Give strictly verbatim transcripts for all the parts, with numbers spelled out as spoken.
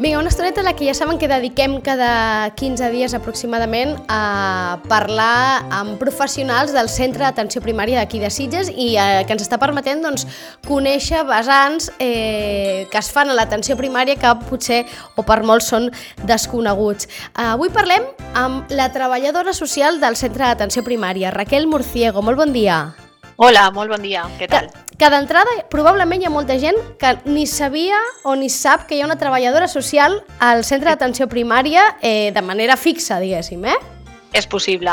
Vinga, una estoneta a la que ja saben que dediquem cada quinze dies aproximadament a parlar amb professionals del Centre d'Atenció Primària d'aquí de Sitges i eh, que ens està permetent doncs, conèixer vessants eh, que es fan a l'atenció primària que potser o per molts són desconeguts. Eh, avui parlem amb la treballadora social del Centre d'Atenció Primària, Raquel Murciego. Molt bon dia. Hola, molt bon dia. Què tal? Que, que d'entrada probablement hi ha molta gent que ni sabia o ni sap que hi ha una treballadora social al Centre d'Atenció Primària eh, de manera fixa, diguéssim, eh? És possible.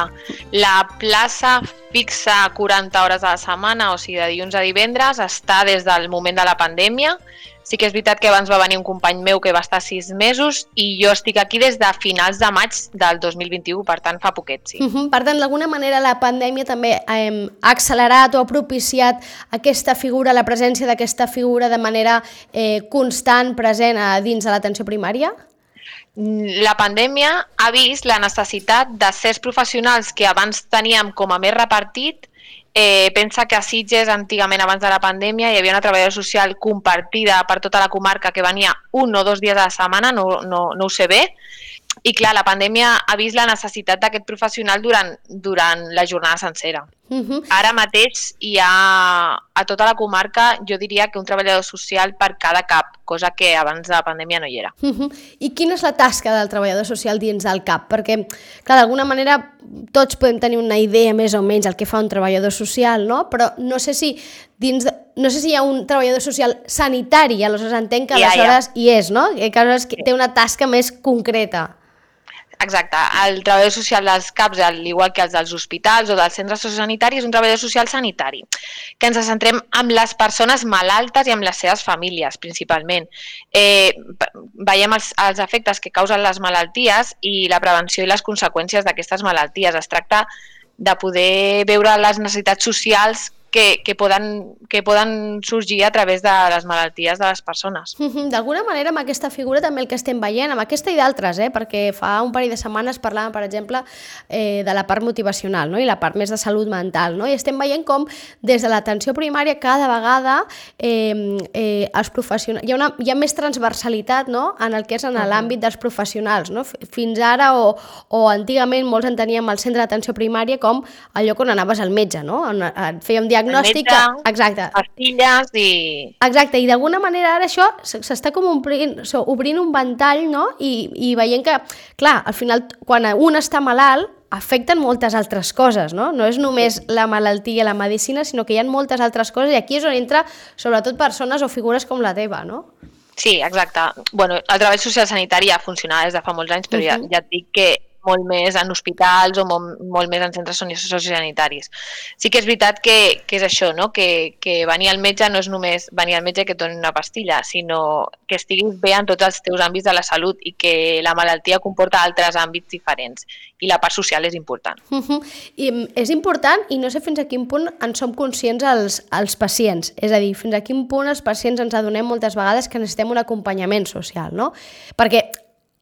La plaça fixa quaranta hores a la setmana, o sigui, de dilluns a divendres, està des del moment de la pandèmia. Sí que és veritat que abans va venir un company meu que va estar sis mesos i jo estic aquí des de finals de maig del dos mil vint-i-u, per tant fa poquet, sí. Uh-huh. Per tant, d'alguna manera la pandèmia també eh, ha accelerat o ha propiciat aquesta figura, la presència d'aquesta figura de manera eh, constant, present a dins de l'atenció primària? La pandèmia ha vist la necessitat de certs professionals que abans teníem com a més repartit. Eh, pensa que a Sitges, antigament, abans de la pandèmia, hi havia una treballadora social compartida per tota la comarca que venia un o dos dies a la setmana, no, no, no ho sé bé, i clar, la pandèmia ha vist la necessitat d'aquest professional durant, durant la jornada sencera. Uh-huh. Ara mateix hi ha a tota la comarca, jo diria que un treballador social per cada cap, cosa que abans de la pandèmia no hi era. Uh-huh. I quina és la tasca del treballador social dins del CAP? Perquè, clar, d'alguna manera tots podem tenir una idea més o menys del que fa un treballador social, no? Però no sé si dins de, no sé si hi ha un treballador social sanitari, aleshores entenc que aleshores hi és, no? Que aleshores té una tasca més concreta. Exacte. El treballador social dels CAPs, al igual que els dels hospitals o dels centres sociosanitaris, és un treballador social sanitari, que ens centrem en les persones malaltes i amb les seves famílies, principalment. Eh, veiem els, els efectes que causen les malalties i la prevenció i les conseqüències d'aquestes malalties. Es tracta de poder veure les necessitats socials Que, que, poden, que poden sorgir a través de les malalties de les persones. D'alguna manera, amb aquesta figura també el que estem veient, amb aquesta i d'altres, eh? Perquè fa un parell de setmanes parlàvem, per exemple, eh, de la part motivacional, no? I la part més de salut mental, no? I estem veient com des de l'atenció primària cada vegada eh, eh, els professionals... Hi ha, una, hi ha més transversalitat, no? En el que és en l'àmbit dels professionals, no? Fins ara o, o antigament molts enteníem el centre d'atenció primària com el lloc on anaves al metge, no? On et fèiem diagnòstic. Diagnòstic, exacte. Pastilles i... Exacte, i d'alguna manera ara això s'està com obrint, obrint un ventall, no? I, i veient que, clar, al final, quan un està malalt, afecten moltes altres coses, no? No és només la malaltia, la medicina, sinó que hi ha moltes altres coses i aquí és on entra, sobretot, persones o figures com la teva, no? Sí, exacte. Bueno, el treball social sanitari ja funciona des de fa molts anys, però uh-huh. ja, ja et dic que molt més en hospitals o molt, molt més en centres sociosanitaris. Sí que és veritat que, que és això, no? que, que venir al metge no és només venir al metge que et doni una pastilla, sinó que estiguis bé en tots els teus àmbits de la salut i que la malaltia comporta altres àmbits diferents i la part social és important. Uh-huh. I és important i no sé fins a quin punt en som conscients els, els pacients, és a dir, fins a quin punt els pacients ens adonem moltes vegades que necessitem un acompanyament social, no? Perquè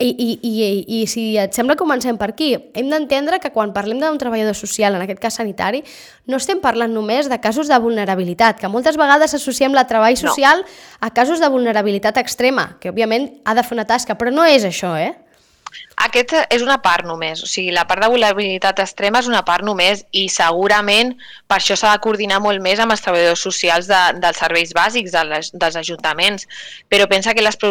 I, i, i, i si et sembla comencem per aquí, hem d'entendre que quan parlem d'un treballador social, en aquest cas sanitari, no estem parlant només de casos de vulnerabilitat, que moltes vegades associem el treball social no. a casos de vulnerabilitat extrema, que òbviament ha de fer una tasca, però no és això, eh? Aquest és una part només, o sigui, la part de vulnerabilitat extrema és una part només i segurament per això s'ha de coordinar molt més amb els treballadors socials de, dels serveis bàsics de les, dels ajuntaments, però pensa que les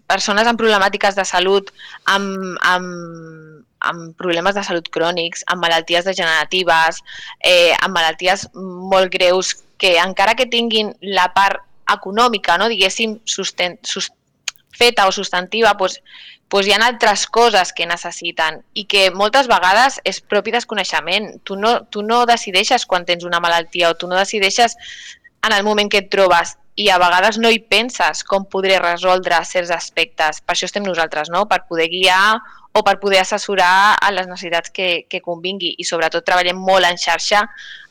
persones amb problemàtiques de salut, amb, amb, amb problemes de salut crònics, amb malalties degeneratives, eh, amb malalties molt greus, que encara que tinguin la part econòmica, no, diguéssim, susten, sust, feta o substantiva, doncs, doncs hi ha altres coses que necessiten i que moltes vegades és propi desconeixement. Tu no, tu no decideixes quan tens una malaltia o tu no decideixes en el moment que et trobes i a vegades no hi penses com podré resoldre certs aspectes. Per això estem nosaltres, no? Per poder guiar o per poder assessorar a les necessitats que, que convingui. I sobretot treballem molt en xarxa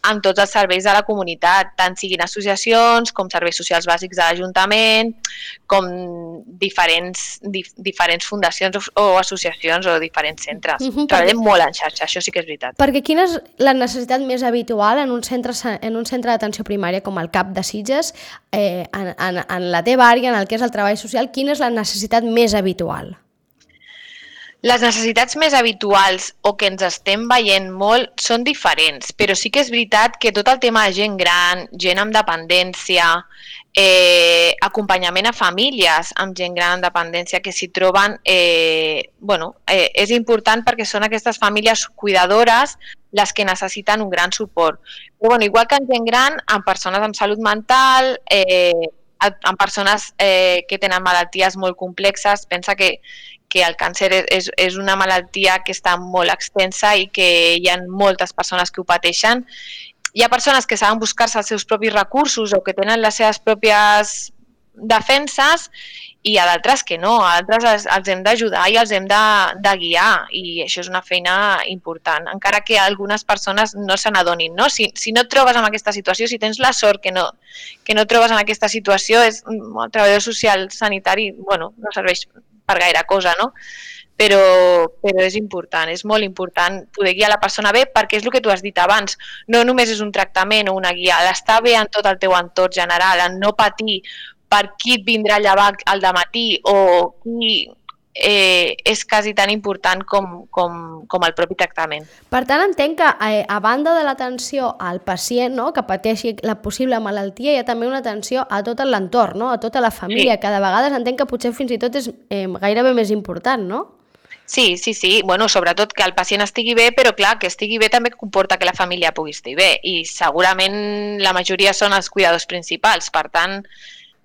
amb tots els serveis de la comunitat, tant siguin associacions com serveis socials bàsics de l'Ajuntament, com diferents, dif, diferents fundacions o, o associacions o diferents centres. Uh-huh, treballem perquè... molt en xarxa, això sí que és veritat. Perquè quina és la necessitat més habitual en un centre, en un centre d'atenció primària com el C A P de Sitges, eh, en, en, en la teva àrea, en el que és el treball social, quina és la necessitat més habitual? Les necessitats més habituals o que ens estem veient molt són diferents, però sí que és veritat que tot el tema de gent gran, gent amb dependència, eh, acompanyament a famílies amb gent gran amb dependència que s'hi troben, eh, bueno, eh, és important perquè són aquestes famílies cuidadores les que necessiten un gran suport. Però, bueno, igual que en gent gran, amb persones amb salut mental, eh, amb persones eh, que tenen malalties molt complexes, pensa que que el càncer és, és una malaltia que està molt extensa i que hi ha moltes persones que ho pateixen. Hi ha persones que saben buscar-se els seus propis recursos o que tenen les seves pròpies defenses i a d'altres que no, a d'altres els, els hem d'ajudar i els hem de, de guiar i això és una feina important, encara que algunes persones no se n'adonin, no? Si, si no et trobes en aquesta situació, si tens la sort que no, que no et trobes en aquesta situació, és, el treballador social sanitari, bueno, no serveix per gaire cosa, no? Però, però és important, és molt important poder guiar la persona bé perquè és el que tu has dit abans, no només és un tractament o una guia, l'estar bé en tot el teu entorn general, en no patir per qui et vindrà a llevar al dematí o qui eh, és quasi tan important com, com, com el propi tractament. Per tant, entenc que eh, a banda de l'atenció al pacient, no?, que pateixi la possible malaltia, hi ha també una atenció a tot l'entorn, no?, a tota la família, sí. Que de vegades entenc que potser fins i tot és eh, gairebé més important, no? Sí, sí, sí. Bueno, sobretot que el pacient estigui bé, però clar, que estigui bé també comporta que la família pugui estar bé i segurament la majoria són els cuidadors principals, per tant,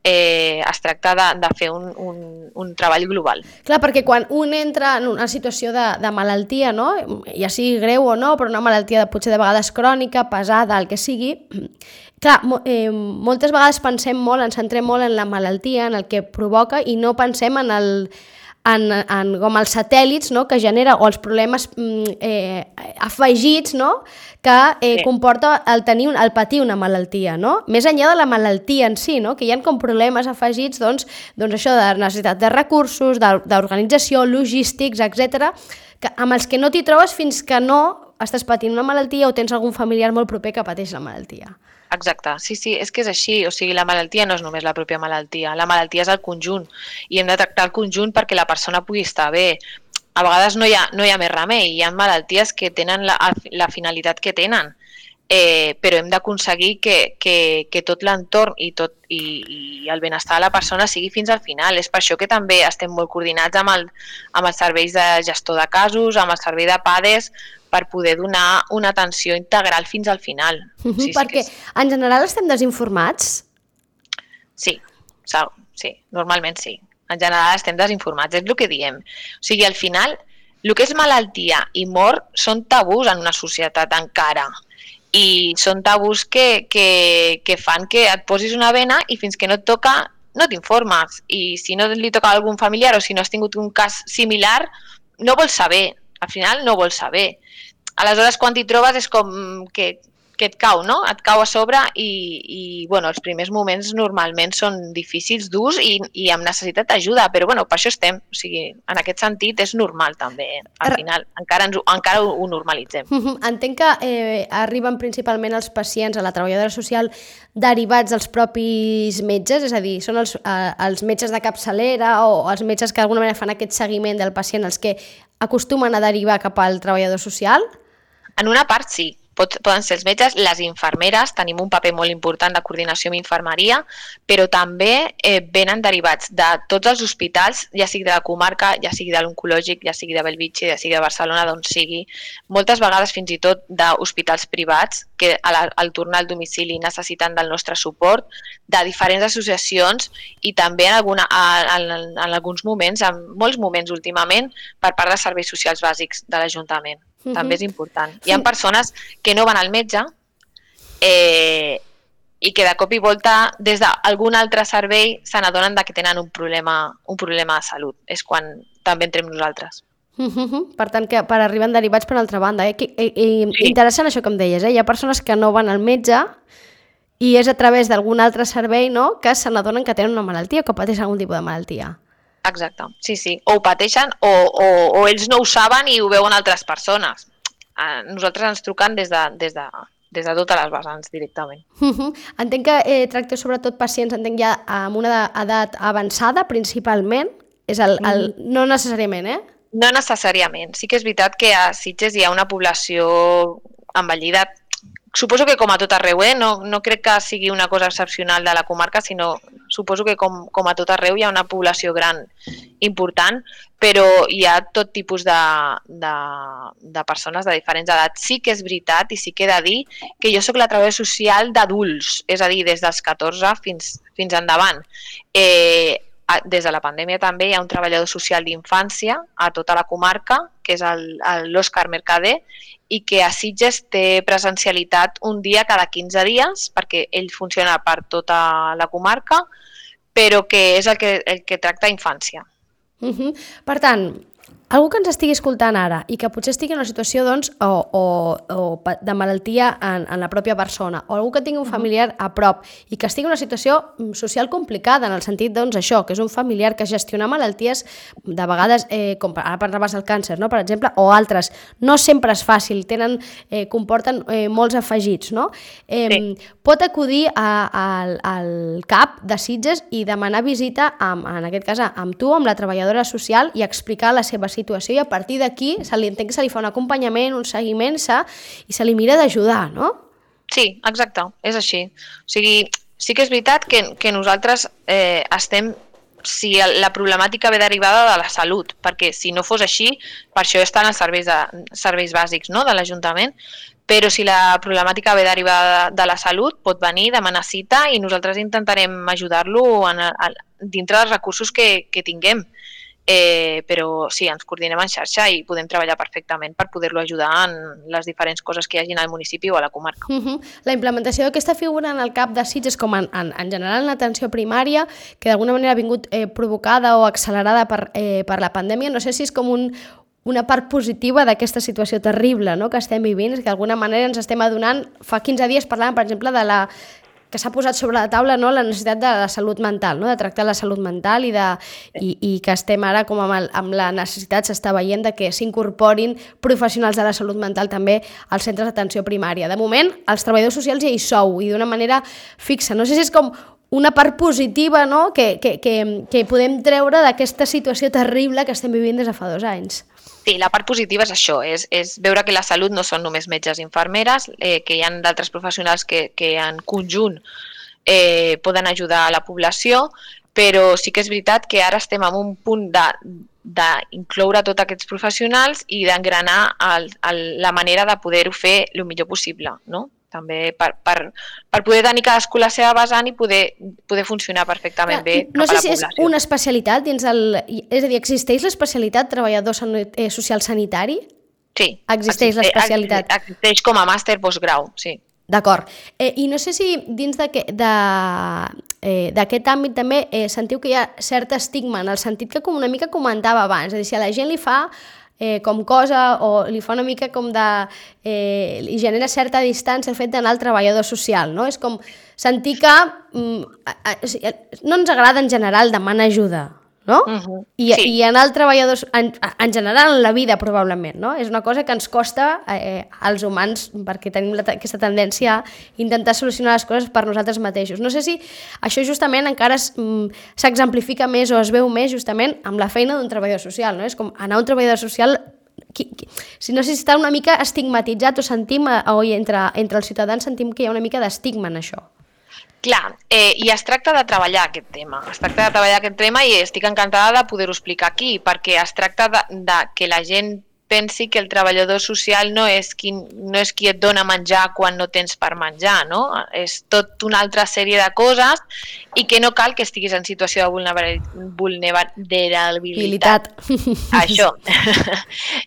Eh, es tracta de, de fer un, un, un treball global. Clar, perquè quan un entra en una situació de, de malaltia, no? Ja sigui greu o no, però una malaltia de, potser de vegades crònica, pesada, el que sigui, clar, eh, moltes vegades pensem molt, ens centrem molt en la malaltia, en el que provoca i no pensem en el En, en com els satèl·lits, no?, que genera, o els problemes eh, afegits, no?, que eh, sí. comporta el, tenir, el patir una malaltia, no? Més enllà de la malaltia en si, no?, que hi ha com problemes afegits, doncs, doncs això de necessitat de recursos, d'organització, logístics, etcètera, que, amb els que no t'hi trobes fins que no estàs patint una malaltia o tens algun familiar molt proper que pateix la malaltia. Exacte, sí, sí, és que és així, o sigui, la malaltia no és només la pròpia malaltia, la malaltia és el conjunt i hem de tractar el conjunt perquè la persona pugui estar bé. A vegades no hi ha, no hi ha més remei, hi ha malalties que tenen la, la finalitat que tenen, eh, però hem d'aconseguir que, que, que tot l'entorn i, tot, i, i el benestar de la persona sigui fins al final. És per això que també estem molt coordinats amb, el, amb els serveis de gestor de casos, amb el servei de PADES, per poder donar una atenció integral fins al final. Uh-huh, sí, perquè sí és... en general estem desinformats? Sí, sí, normalment sí. En general estem desinformats, és el que diem. O sigui, al final, el que és malaltia i mort són tabús en una societat encara. I són tabús que, que, que fan que et posis una vena i fins que no et toca no t'informes. I si no li toca a algun familiar o si no has tingut un cas similar, no vols saber. Al final no vols saber. Aleshores, quan t'hi trobes és com que, que et cau, no? Et cau a sobre i, i bueno, els primers moments normalment són difícils, durs i, i amb necessitat d'ajuda, però bueno, per això estem. O sigui, en aquest sentit és normal també. Al final encara, ens, encara ho, ho normalitzem. Entenc que eh, arriben principalment els pacients a la treballadora social derivats dels propis metges, és a dir, són els, eh, els metges de capçalera o els metges que d'alguna manera fan aquest seguiment del pacient els que acostumen a derivar cap al treballador social? En una part sí. Pot, poden ser els metges, les infermeres, tenim un paper molt important de coordinació amb infermeria, però també eh, venen derivats de tots els hospitals, ja sigui de la comarca, ja sigui de l'oncològic, ja sigui de Bellvitge, ja sigui de Barcelona, d'on sigui, moltes vegades fins i tot d'hospitals privats que al, al tornar al domicili necessiten del nostre suport, de diferents associacions i també en, alguna, en, en, en alguns moments, en molts moments últimament, per part de serveis socials bàsics de l'Ajuntament. Uh-huh. També és important. Hi ha persones que no van al metge eh, i que de cop i volta des d'algun altre servei se n'adonen que tenen un problema, un problema de salut. És quan també entrem nosaltres. Uh-huh. Per tant, que per arribar derivats per altra banda. Eh? I, i, Sí. Interessant això que em deies, eh? Hi ha persones que no van al metge i és a través d'algun altre servei, no?, que se n'adonen que tenen una malaltia o que pateixen algun tipus de malaltia. Exacte, sí, sí. O ho pateixen o, o, o ells no ho saben i ho veuen altres persones. A nosaltres ens truquen des de, des de, des de totes les vessants directament. Uh-huh. Entenc que eh, tracteu sobretot pacients, entenc ja amb una edat avançada principalment, és el, el, no necessàriament, eh? No necessàriament. Sí que és veritat que a Sitges hi ha una població envellida. Suposo que com a tot arreu, eh? no, no crec que sigui una cosa excepcional de la comarca, sinó suposo que com, com a tot arreu hi ha una població gran important, però hi ha tot tipus de, de, de persones de diferents edats. Sí que és veritat i sí que he de dir que jo sóc la treballadora social d'adults, és a dir, des dels catorze fins, fins endavant. Eh, des de la pandèmia també hi ha un treballador social d'infància a tota la comarca, que és l'Òscar Mercader, i que a Sitges té presencialitat un dia cada quinze dies, perquè ell funciona per tota la comarca, però que és el que, el que tracta infància. Uh-huh. Per tant, algú que ens estigui escoltant ara i que potser estigui en una situació doncs, o, o, o de malaltia en, en la pròpia persona, o algú que tingui un familiar a prop i que estigui en una situació social complicada, en el sentit doncs, això, que és un familiar que gestiona malalties de vegades, eh, com ara parlaves del càncer, no? Per exemple, o altres, no sempre és fàcil, tenen, eh, comporten eh, molts afegits, no? Eh, sí. Pot acudir a, a, al C A P de Sitges i demanar visita, amb, en aquest cas, amb tu, amb la treballadora social, i explicar la seva situació, i a partir d'aquí se li entenc que se li fa un acompanyament, un seguiment se, i se li mira d'ajudar, no? Sí, exacte, és així. O sigui, sí que és veritat que, que nosaltres eh, estem, si la problemàtica ve derivada de la salut, perquè si no fos així, per això estan els serveis, de, serveis bàsics, no?, de l'Ajuntament, però si la problemàtica ve derivada de, de la salut, pot venir, demanar cita i nosaltres intentarem ajudar-lo en, en, dintre dels recursos que, que tinguem. Eh, però sí, ens coordinem en xarxa i podem treballar perfectament per poder-lo ajudar en les diferents coses que hi hagi al municipi o a la comarca. Uh-huh. La implementació d'aquesta figura en el C A P de Sitges, com en, en, en general en l'atenció primària, que d'alguna manera ha vingut eh, provocada o accelerada per, eh, per la pandèmia, no sé si és com un, una part positiva d'aquesta situació terrible, no?, que estem vivint, és que d'alguna manera ens estem adonant. Fa quinze dies parlàvem, per exemple, de la que s'ha posat sobre la taula, no?, la necessitat de la salut mental, no?, de tractar la salut mental i, de, i, i que estem ara com amb, el, amb la necessitat, s'està veient de que s'incorporin professionals de la salut mental també als centres d'atenció primària. De moment, els treballadors socials ja hi sou i d'una manera fixa. No sé si és com una part positiva, no?, que, que, que, que podem treure d'aquesta situació terrible que estem vivint des de fa dos anys. Sí, la part positiva és això, és, és veure que la salut no són només metges i infermeres, eh, que hi ha d'altres professionals que, que en conjunt eh, poden ajudar a la població, però sí que és veritat que ara estem en un punt d'incloure tots aquests professionals i d'engranar la manera de poder-ho fer el millor possible, no? També per, per, per poder tenir cadascú la seva vessant i poder, poder funcionar perfectament bé cap a la població. No sé si és una especialitat dins el... És a dir, existeix l'especialitat treballador social sanitari? Sí. Existeix l'especialitat. Existeix com a màster postgrau, sí. D'acord. Eh, I no sé si dins d'aquest eh, àmbit també eh, sentiu que hi ha cert estigma, en el sentit que com una mica comentava abans, és a dir, si a la gent li fa Eh, com cosa o li fa una mica com de... Eh, li genera certa distància el fet d'anar al treballador social, no? És com sentir que mm, a, a, no ens agrada en general demanar ajuda, no? Uh-huh. I, sí. I anar al treballador, en, en general en la vida probablement, no? És una cosa que ens costa eh, als humans perquè tenim la, aquesta tendència a intentar solucionar les coses per nosaltres mateixos. No sé si això justament encara s'exemplifica més o es veu més justament amb la feina d'un treballador social, no? És com anar a un treballador social... Qui, qui, si no sé si està una mica estigmatitzat o sentim, o entre, entre els ciutadans sentim que hi ha una mica d'estigma en això. Clar, eh, i es tracta de treballar aquest tema, es tracta de treballar aquest tema i estic encantada de poder-ho explicar aquí, perquè es tracta de, de que la gent pensi que el treballador social no és, qui, no és qui et dona menjar quan no tens per menjar, no? És tot una altra sèrie de coses i que no cal que estiguis en situació de vulnerabilitat. Això.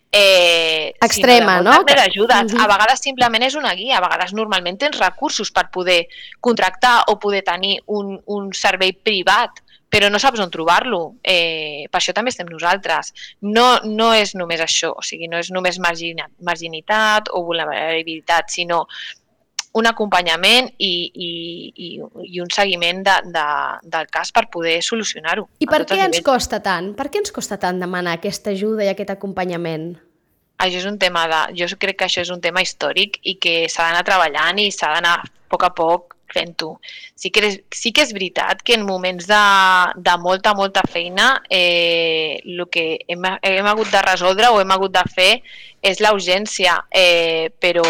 eh, Extrema, no? Ajuda. A vegades simplement és una guia, a vegades normalment tens recursos per poder contractar o poder tenir un, un servei privat però no saps on trobar-lo. Eh, per això també estem nosaltres. No, no és només això, o sigui, no és només marginitat o vulnerabilitat, sinó un acompanyament i, i, i, i un seguiment de, de, del cas per poder solucionar-ho. I per què ens costa tant? Per què ens costa tant demanar aquesta ajuda i aquest acompanyament? Això és un tema de, jo crec que això és un tema històric i que s'ha d'anar treballant i s'ha d'anar a poc a poc fent-ho. Sí que, és, sí que és veritat que en moments de, de molta, molta feina eh, el que hem, hem hagut de resoldre o hem hagut de fer és la urgència, eh, però,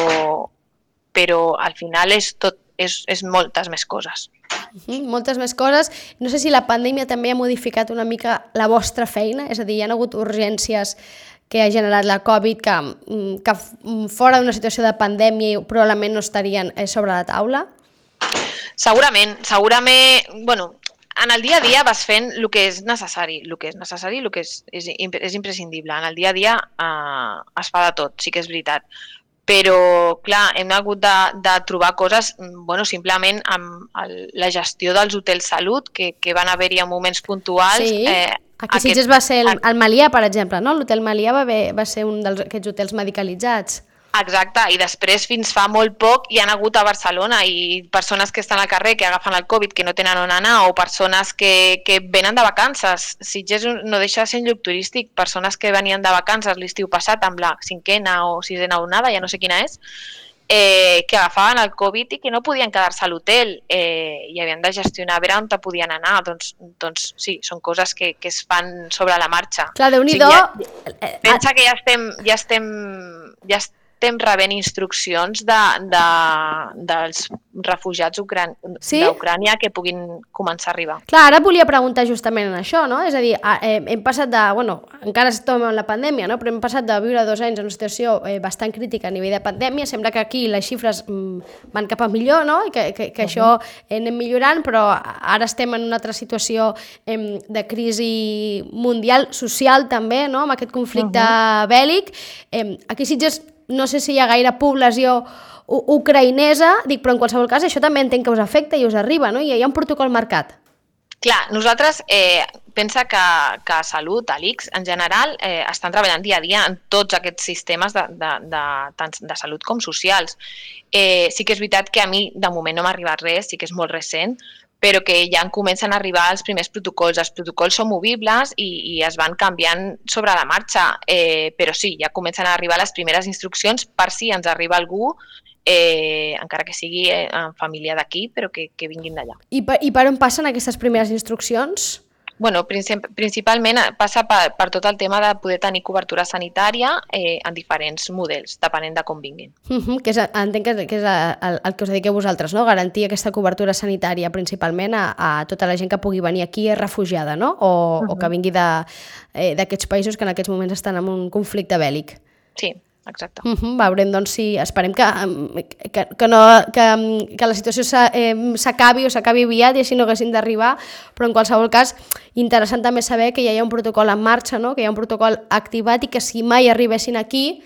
però al final és, tot, és, és moltes més coses. Uh-huh, moltes més coses. No sé si la pandèmia també ha modificat una mica la vostra feina, és a dir, hi ha hagut urgències que ha generat la Covid, que, que fora d'una situació de pandèmia probablement no estarien sobre la taula? Segurament, segurament, bueno, en el dia a dia vas fent el que és necessari, el que és necessari, el que és, és, és imprescindible. En el dia a dia eh, es fa de tot, sí que és veritat. Però, clar, hem hagut de, de trobar coses, bueno, simplement amb el, la gestió dels hotels salut, que, que van haver-hi en moments puntuals. Sí, eh, aquí a Sitges va ser el, el Melià, per exemple, no? L'hotel Melià va, haver, va ser un d'aquests hotels medicalitzats. Exacte, i després fins fa molt poc hi han hagut a Barcelona i persones que estan al carrer que agafen el Covid que no tenen on anar o persones que, que venen de vacances. Sitges no deixa de ser un lloc turístic, persones que venien de vacances l'estiu passat amb la cinquena o sisena onada, ja no sé quina és, eh, que agafaven el Covid i que no podien quedar-se a l'hotel eh, i havien de gestionar a veure on podien anar. Doncs, doncs sí, són coses que, que es fan sobre la marxa. Clar, Déu-n'hi-do... O sigui, ja, pensa que ja estem... Ja estem, ja estem estem rebent instruccions de, de, dels refugiats d'Ucrània sí? que puguin començar a arribar. Clar, ara volia preguntar justament en això, no? És a dir, hem passat de... Bueno, encara estem en la pandèmia, no? Però hem passat de viure dos anys en una situació bastant crítica a nivell de pandèmia. Sembla que aquí les xifres van cap a millor, no? I que, que, que uh-huh. això anem millorant, però ara estem en una altra situació de crisi mundial, social també, no? Amb aquest conflicte uh-huh. bèl·lic. Aquí Sitges no sé si hi ha gaire població ucraïnesa, dic, però en qualsevol cas això també entenc que us afecta i us arriba, no? I hi ha un protocol marcat. Clar, nosaltres eh, pensa que, que Salut, a l'I C S, en general, eh, estan treballant dia a dia en tots aquests sistemes de, de, de, tant de salut com socials. Eh, sí que és veritat que a mi de moment no m'ha arribat res, sí que és molt recent, però que ja comencen a arribar els primers protocols. Els protocols són movibles i, i es van canviant sobre la marxa, eh, però sí, ja comencen a arribar les primeres instruccions per si ens arriba algú, eh, encara que sigui eh, en família d'aquí, però que, que vinguin d'allà. I per, I per on passen aquestes primeres instruccions? Bueno, principalment passa per, per tot el tema de poder tenir cobertura sanitària eh, en diferents models, depenent de com vinguin. Uh-huh, que és, entenc que, que és el, el que us dediqueu vosaltres, no? Garantir aquesta cobertura sanitària principalment a, a tota la gent que pugui venir aquí refugiada, no? O, uh-huh. o que vingui d'aquests països que en aquests moments estan en un conflicte bèl·lic. Sí. Exacte. Uh-huh, veurem, doncs, si esperem que, que, que, no, que, que la situació s'acabi o s'acabi aviat i així no haguessin d'arribar, però en qualsevol cas interessant també saber que ja hi ha un protocol en marxa, no? Que hi ha un protocol activat i que si mai arribessin aquí,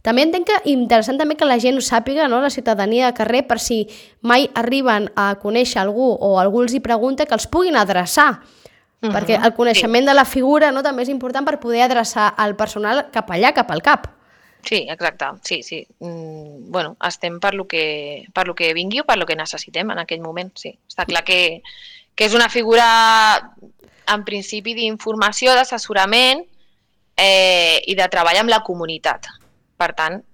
també entenc que interessant també que la gent ho sàpiga, no? La ciutadania de carrer, per si mai arriben a conèixer algú o algú els hi pregunta, que els puguin adreçar. Uh-huh. Perquè el coneixement sí. de la figura, no? També és important per poder adreçar el personal cap allà, cap al cap. Sí, exacte, sí, sí. Mm, bueno, estem per lo que, per lo que vingui o per lo que necessitem en aquell moment, sí. Està clar que, que és una figura, en principi, d'informació, d'assessorament eh, i de treball amb la comunitat. Per tant,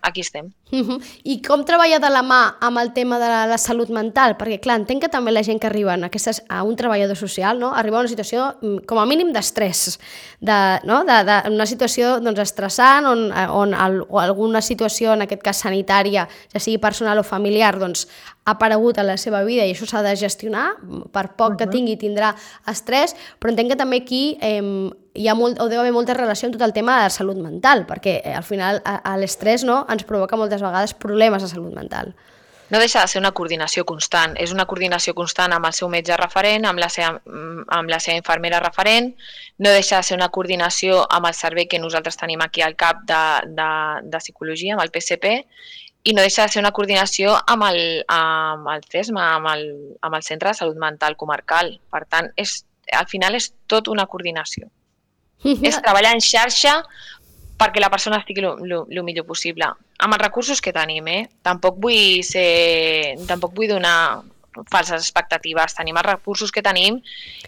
aquí estem. Uh-huh. I com treballa de la mà amb el tema de la, la salut mental? Perquè, clar, entenc que també la gent que arriba a, aquestes, a un treballador social, no? Arriba a una situació, com a mínim, d'estrès, de, no? de, de, una situació doncs, estressant, on, on el, o alguna situació, en aquest cas sanitària, ja sigui personal o familiar, doncs, ha aparegut a la seva vida i això s'ha de gestionar, per poc uh-huh. que tingui tindrà estrès, però entenc que també aquí eh, hi ha molt, o deu haver molta relació amb tot el tema de la salut mental, perquè eh, al final a, a l'estrès, no? Ens provoca moltes vegades problemes de salut mental. No deixa de ser una coordinació constant. És una coordinació constant amb el seu metge referent, amb la seva, amb la seva infermera referent, no deixa de ser una coordinació amb el servei que nosaltres tenim aquí al cap de, de, de psicologia, amb el P S P, i no deixa de ser una coordinació amb el, amb el CESMA, amb el, amb el Centre de Salut Mental Comarcal. Per tant, és al final és tot una coordinació. És treballar en xarxa perquè la persona estigui el millor possible. Amb els recursos que tenim, eh? Tampoc vull ser... Tampoc vull donar falses expectatives. Tenim els recursos que tenim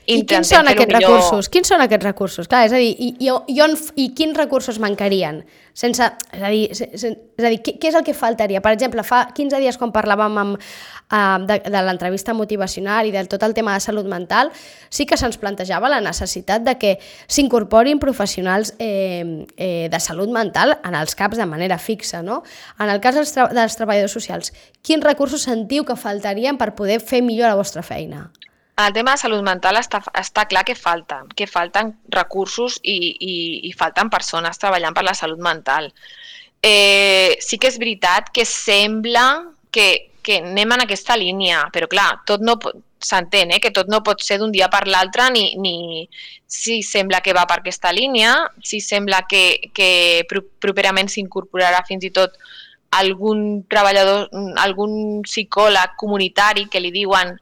i I quins són aquests millor... recursos? Quins són aquests recursos? Clar, és a dir, i, i, i, on, i quins recursos mancarien? Sense, és a dir, sense, és a dir què, què és el que faltaria? Per exemple, fa quinze dies quan parlàvem amb, uh, de, de l'entrevista motivacional i de tot el tema de salut mental, sí que se'ns plantejava la necessitat de que s'incorporin professionals eh, eh, de salut mental en els CAPs de manera fixa, no? En el cas dels, tra dels treballadors socials, quins recursos sentiu que faltarien per poder fer millor la vostra feina? El tema de salut mental està, està clar que falta, que falten recursos i, i, i falten persones treballant per la salut mental. Eh, sí que és veritat que sembla que, que anem en aquesta línia, però clar, tot no s'entén, eh, que tot no pot ser d'un dia per l'altre, ni, ni si sembla que va per aquesta línia, si sembla que, que properament s'incorporarà fins i tot algun treballador, algun psicòleg comunitari que li diuen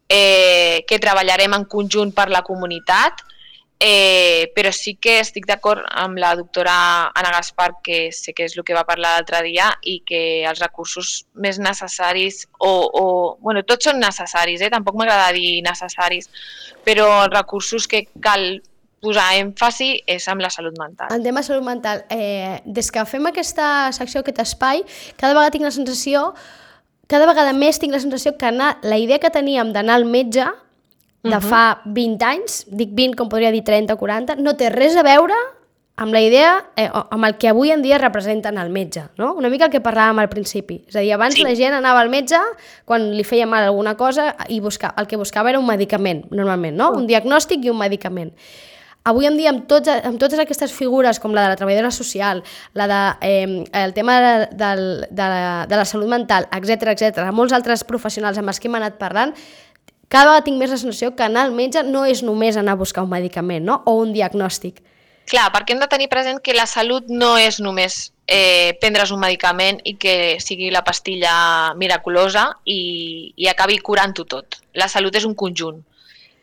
Eh, que treballarem en conjunt per la comunitat, eh, però sí que estic d'acord amb la doctora Anna Gaspar, que sé que és el que va parlar l'altre dia, i que els recursos més necessaris, o, o bueno, tots són necessaris, eh? Tampoc m'agrada dir necessaris, però els recursos que cal posar èmfasi és amb la salut mental. El tema de salut mental, eh, des que fem aquesta secció, aquest espai, cada vegada tinc la sensació cada vegada més tinc la sensació que anar, la idea que teníem d'anar al metge de fa vint anys, dic vint com podria dir trenta o quaranta, no té res a veure amb la idea, eh, amb el que avui en dia representen el metge, no? Una mica el que parlàvem al principi. És a dir, abans sí. La gent anava al metge quan li feia mal alguna cosa i busca, el que buscava era un medicament, normalment, no? Un diagnòstic i un medicament. Avui en dia, amb, tots, amb totes aquestes figures, com la de la treballadora social, la de, eh, el tema de, de, de, la, de la salut mental, etcètera, etcètera, molts altres professionals amb els que hem anat parlant, cada vegada tinc més la sensació que anar al metge no és només anar a buscar un medicament, no? O un diagnòstic. Clar, perquè hem de tenir present que la salut no és només eh, prendre's un medicament i que sigui la pastilla miraculosa i, i acabi curant-ho tot. La salut és un conjunt.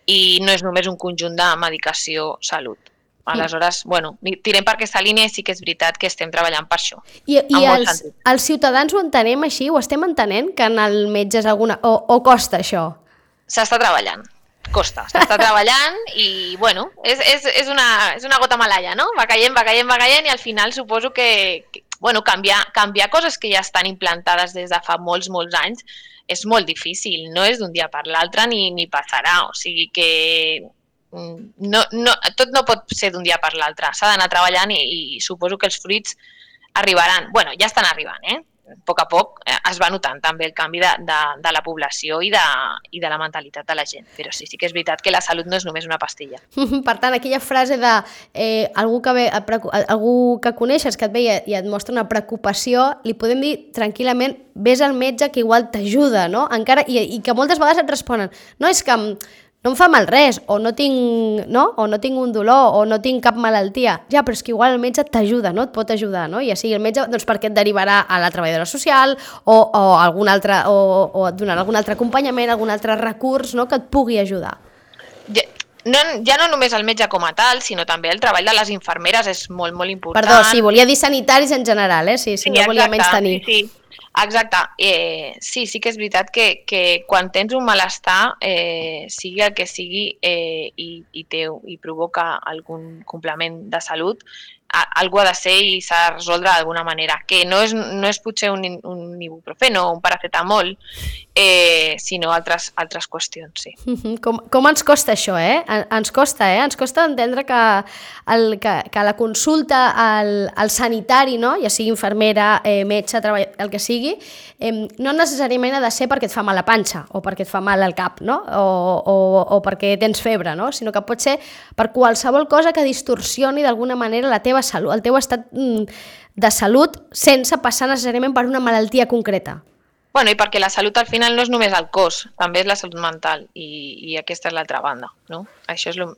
I no és només un conjunt de medicació-salut. Aleshores, bueno, tirem per aquesta línia i sí que és veritat que estem treballant per això. I, i els, els ciutadans ho entenem així? Ho estem entenent que anar al metge és alguna... O, o costa això? S'està treballant. Costa. S'està treballant i, bueno, és, és, és, una, és una gota malaia, no? Va caient, va caient, va caient i al final suposo que, que bueno, canviar, canviar coses que ja estan implantades des de fa molts, molts anys és molt difícil, no és d'un dia per l'altre ni, ni passarà, o sigui que no, no, tot no pot ser d'un dia per l'altre, s'ha d'anar treballant i, i suposo que els fruits arribaran, bueno, ja estan arribant, eh? A poc a poc es va notant també el canvi de, de, de la població i de, i de la mentalitat de la gent, però sí, sí que és veritat que la salut no és només una pastilla. Per tant, aquella frase de eh, algú, que ve, algú que coneixes que et ve i et mostra una preocupació, li podem dir tranquil·lament vés al metge que igual t'ajuda, no? Encara, i, i que moltes vegades et responen no és que no em fa mal res, o no tinc, no? o no tinc un dolor, o no tinc cap malaltia. Ja, però és que igual el metge t'ajuda, no? Et pot ajudar, no? I així el metge, doncs perquè et derivarà a la treballadora social o, o, algun altre, o, o et donarà algun altre acompanyament, algun altre recurs, no? Que et pugui ajudar. Ja, no, ja no només el metge com a tal, sinó també el treball de les infermeres és molt, molt important. Perdó, sí, volia dir sanitaris en general, eh? Sí, sí, sí no volia menys tenir. Sí, sí. Exacte, eh, sí, sí que és veritat que, que quan tens un malestar, eh, sigui el que sigui eh, i, i, té, i provoca algun complement de salut, a, algú ha de ser i s'ha de resoldre d'alguna manera, que no és, no és potser un, un ibuprofeno o un paracetamol, eh, sinó altres, altres qüestions, sí. Com, com ens costa això, eh? Ens costa, eh? Ens costa entendre que, el, que, que la consulta al, al sanitari, no? Ja sigui infermera, eh, metge, treball, el que sigui, eh, no necessàriament ha de ser perquè et fa mal la panxa o perquè et fa mal el cap, no? O, o, o perquè tens febre, no? Sinó que pot ser per qualsevol cosa que distorsioni d'alguna manera la teva salut, el teu estat de salut sense passar necessàriament per una malaltia concreta. Bueno, i perquè la salut al final no és només el cos, també és la salut mental i, i aquesta és l'altra banda, no? Això és lo...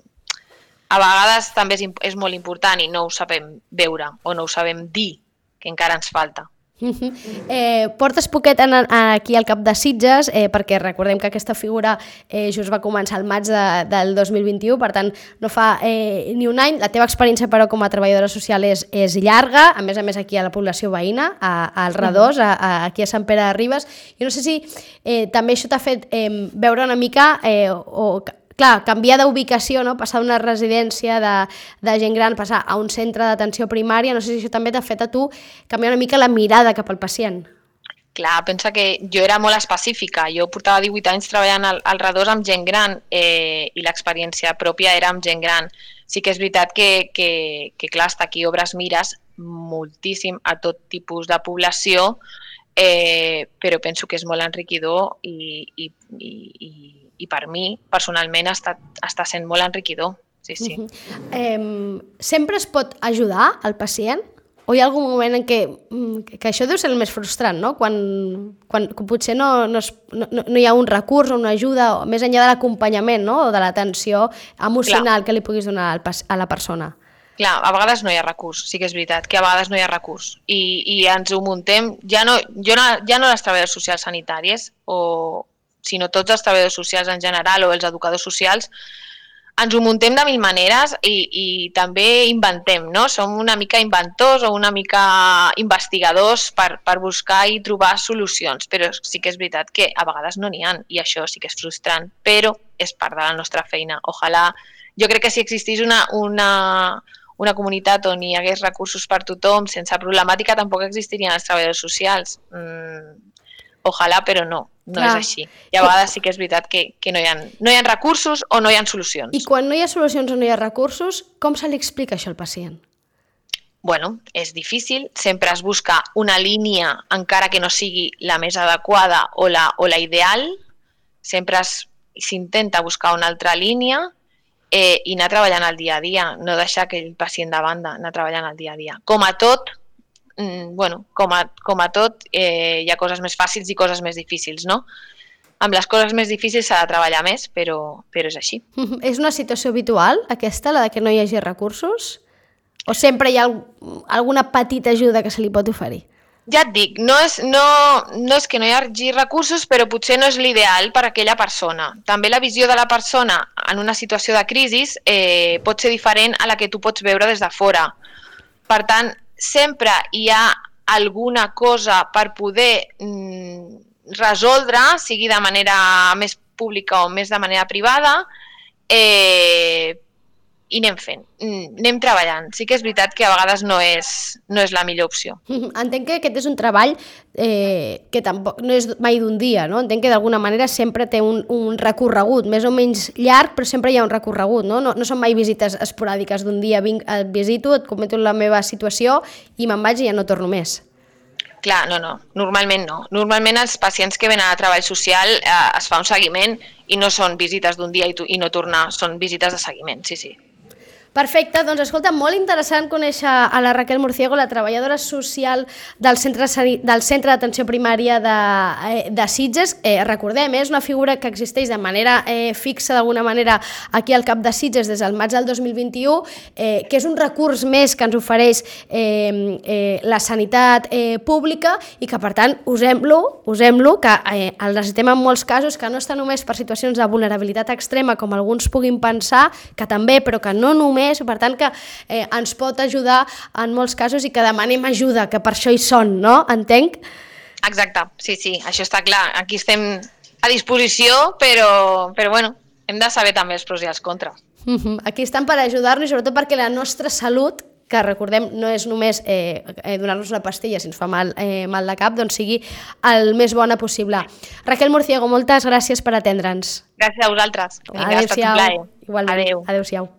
A vegades també és, és molt important i no ho sabem veure o no ho sabem dir, que encara ens falta. Eh, portes poquet en, en, aquí al cap de Sitges, eh, perquè recordem que aquesta figura eh, just va començar al maig de, del dos mil vint-i-u, per tant no fa eh, ni un any. La teva experiència però com a treballadora social és, és llarga, a més a més aquí a la població veïna, a, a Redós, a, a, aquí a Sant Pere de Ribes. Jo no sé si eh, també això t'ha fet eh, veure una mica eh, o... Clar, canviar d'ubicació, no? Passar d'una residència de, de gent gran, passar a un centre d'atenció primària, no sé si això també t'ha fet a tu canviar una mica la mirada cap al pacient. Clar, pensa que jo era molt específica. Jo portava divuit anys treballant al, al Redós amb gent gran eh, i l'experiència pròpia era amb gent gran. Sí que és veritat que, que, que clar, està aquí Obres mires moltíssim a tot tipus de població, eh, però penso que és molt enriquidor i, i, i, i i per mi, personalment, està, està sent molt enriquidor. Sí, sí. Uh-huh. eh, sempre es pot ajudar al pacient? O hi ha algun moment en què, que això deu ser el més frustrant, no? Quan, quan potser no, no, es, no, no hi ha un recurs o una ajuda, o més enllà de l'acompanyament, no? O de l'atenció emocional Clar. Que li puguis donar al, a la persona. Clar, a vegades no hi ha recurs, sí que és veritat, que a vegades no hi ha recurs. I, i ens ho muntem, ja no, jo no, ja no les treballadores socials sanitàries, o sinó tots els treballadors socials en general o els educadors socials, ens ho muntem de mil maneres i, i també inventem, no? Som una mica inventors o una mica investigadors per, per buscar i trobar solucions, però sí que és veritat que a vegades no n'hi ha i això sí que és frustrant, però és part de la nostra feina. Ojalà, jo crec que si existís una, una, una comunitat on hi hagués recursos per tothom, sense problemàtica, tampoc existirien els treballadors socials. Mm, ojalà, però no. No Clar. És així. I a vegades sí que és veritat que, que no, hi ha, no hi ha recursos o no hi ha solucions. I quan no hi ha solucions o no hi ha recursos, com se li explica això al pacient? Bueno, és difícil. Sempre es busca una línia, encara que no sigui la més adequada o la, o la ideal. Sempre s'intenta buscar una altra línia eh, i anar treballant al dia a dia. No deixar aquell pacient de banda, anar treballant al dia a dia. Com a tot, bueno, com a, com a tot, eh, hi ha coses més fàcils i coses més difícils, no? Amb les coses més difícils s'ha de treballar més, però, però és així. És una situació habitual, aquesta, la de que no hi hagi recursos? O sempre hi ha alguna petita ajuda que se li pot oferir? Ja et dic, no és, no, no és que no hi hagi recursos, però potser no és l'ideal per a aquella persona. També la visió de la persona en una situació de crisi eh, pot ser diferent a la que tu pots veure des de fora. Per tant, sempre hi ha alguna cosa per poder mm, resoldre, sigui de manera més pública o més de manera privada, eh, i anem fent, anem treballant. Sí que és veritat que a vegades no és, no és la millor opció. Entenc que aquest és un treball eh, que tampoc no és mai d'un dia, no? Entenc que d'alguna manera sempre té un, un recorregut, més o menys llarg, però sempre hi ha un recorregut, no? No, no són mai visites esporàdiques d'un dia, vinc, et visito, et comento la meva situació i me'n vaig i ja no torno més. Clar, no, no, normalment no. Normalment els pacients que venen a treball social eh, es fa un seguiment i no són visites d'un dia i, tu, i no tornar, són visites de seguiment, sí, sí. Perfecte, doncs escolta, molt interessant conèixer a la Raquel Murciego, la treballadora social del Centre, del Centre d'Atenció Primària de, de Sitges. Eh, recordem, és una figura que existeix de manera eh, fixa, d'alguna manera, aquí al cap de Sitges des del maig del dos mil vint-i-u, eh, que és un recurs més que ens ofereix eh, eh, la sanitat eh, pública i que, per tant, usem-lo, usem-lo, que eh, el necessitem en molts casos, que no està només per situacions de vulnerabilitat extrema, com alguns puguin pensar, que també, però que no només, per tant que eh, ens pot ajudar en molts casos i que demanem ajuda, que per això hi són, no? Entenc? Exacte, sí, sí, això està clar. Aquí estem a disposició, però, però bueno, hem de saber també els pros i els contres. Uh-huh. Aquí estan per ajudar-nos, sobretot perquè la nostra salut, que recordem no és només eh, donar-nos una pastilla si ens fa mal, eh, mal de cap, doncs sigui el més bona possible. Raquel Murciego, moltes gràcies per atendre'ns. Gràcies a vosaltres. Adéu-siau. Igualment. Adéu. Adéu-siau.